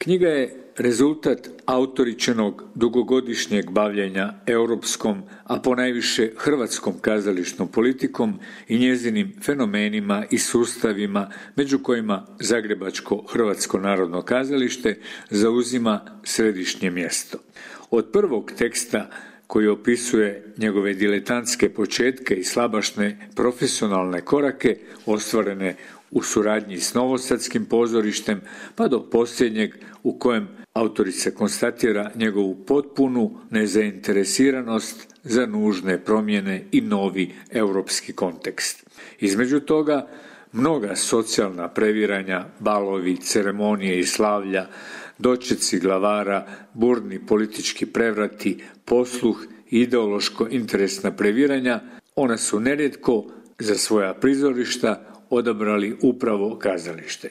Knjiga je rezultat autoričinog dugogodišnjeg bavljenja europskom, a ponajviše hrvatskom kazališnom politikom i njezinim fenomenima i sustavima, među kojima Zagrebačko Hrvatsko narodno kazalište zauzima središnje mjesto. Od prvog teksta koji opisuje njegove diletantske početke i slabašne profesionalne korake ostvarene u suradnji s Novosadskim pozorištem, pa do posljednjeg u kojem autorica konstatira njegovu potpunu nezainteresiranost za nužne promjene i novi europski kontekst. Između toga, mnoga socijalna previranja, balovi, ceremonije i slavlja, dočeci glavara, burni politički prevrati, posluh i ideološko-interesna previranja, ona su nerijetko za svoja prizorišta odabrali upravo kazalište.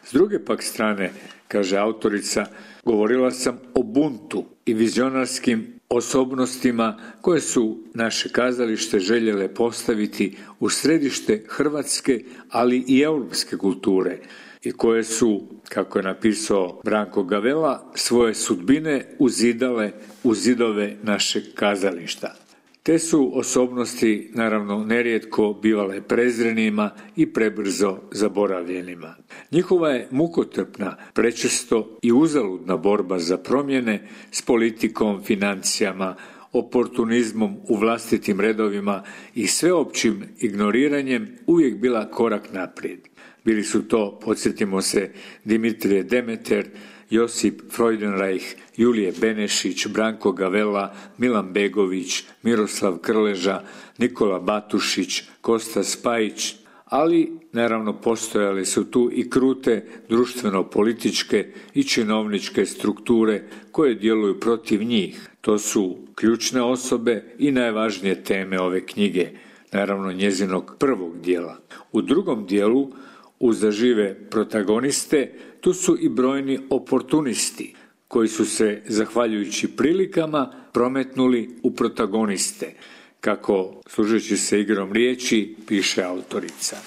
S druge pak strane, kaže autorica, govorila sam o buntu i vizionarskim osobnostima koje su naše kazalište željele postaviti u središte hrvatske, ali i europske kulture i koje su, kako je napisao Branko Gavella, svoje sudbine uzidale u zidove našeg kazališta. Te su osobnosti, naravno, nerijetko bivale prezrenima i prebrzo zaboravljenima. Njihova je mukotrpna, prečesto i uzaludna borba za promjene s politikom, financijama, oportunizmom u vlastitim redovima i sveopćim ignoriranjem uvijek bila korak naprijed. Bili su to, podsjetimo se, Dimitrije Demeter, Josip Freudenreich, Julije Benešić, Branko Gavella, Milan Begović, Miroslav Krleža, Nikola Batušić, Kosta Spajić, ali naravno postojale su tu i krute društveno-političke i činovničke strukture koje djeluju protiv njih. To su ključne osobe i najvažnije teme ove knjige, naravno njezinog prvog dijela. U drugom dijelu, uz zažive protagoniste, tu su i brojni oportunisti koji su se, zahvaljujući prilikama, prometnuli u protagoniste, kako, služeći se igrom riječi, piše autorica.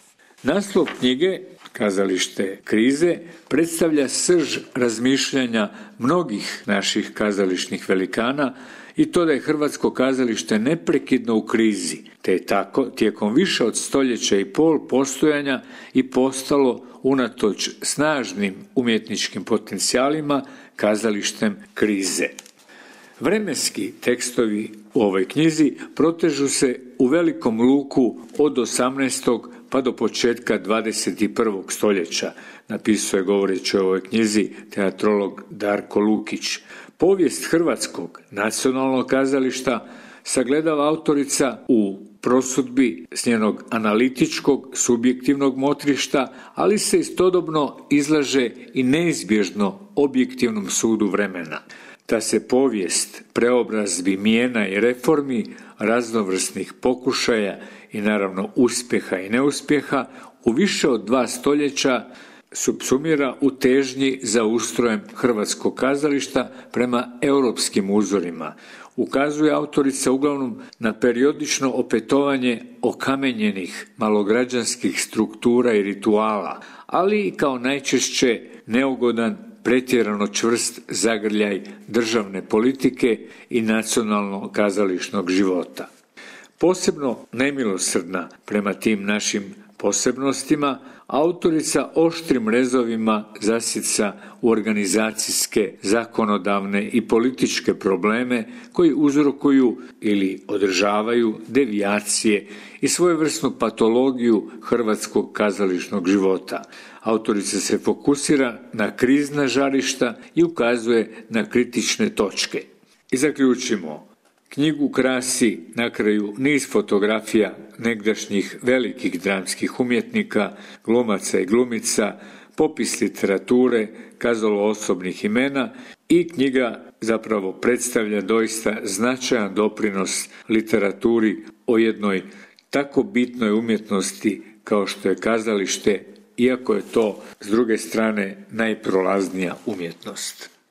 Naslov knjige, Kazalište krize, predstavlja srž razmišljanja mnogih naših kazališnih velikana i to da je hrvatsko kazalište neprekidno u krizi, te je tako tijekom više od stoljeća i pol postojanja i postalo, unatoč snažnim umjetničkim potencijalima, kazalištem krize. Vremenski tekstovi u ovoj knjizi protežu se u velikom luku od 18. pa do početka 21. stoljeća, napisao je govoreći o ovoj knjizi teatrolog Darko Lukić. Povijest hrvatskog nacionalnog kazališta sagledava autorica u prosudbi s njenog analitičkog, subjektivnog motrišta, ali se istodobno izlaže i neizbježno objektivnom sudu vremena. Ta se povijest preobrazbi, mijena i reformi, raznovrsnih pokušaja i naravno uspjeha i neuspjeha u više od 2 stoljeća subsumira u težnji za ustrojem hrvatskog kazališta prema europskim uzorima. Ukazuje autorica uglavnom na periodično opetovanje okamenjenih malograđanskih struktura i rituala, ali i kao najčešće neugodan, pretjerano čvrst zagrljaj državne politike i nacionalno kazališnog života. Posebno nemilosrdna prema tim našim posebnostima, autorica oštrim rezovima zasica u organizacijske, zakonodavne i političke probleme koji uzrokuju ili održavaju devijacije i svojevrsnu patologiju hrvatskog kazališnog života. Autorica se fokusira na krizna žarišta i ukazuje na kritične točke. I zaključimo. Knjigu krasi na kraju niz fotografija negdašnjih velikih dramskih umjetnika, glumaca i glumica, popis literature, kazalo osobnih imena i knjiga zapravo predstavlja doista značajan doprinos literaturi o jednoj tako bitnoj umjetnosti kao što je kazalište, iako je to s druge strane najprolaznija umjetnost.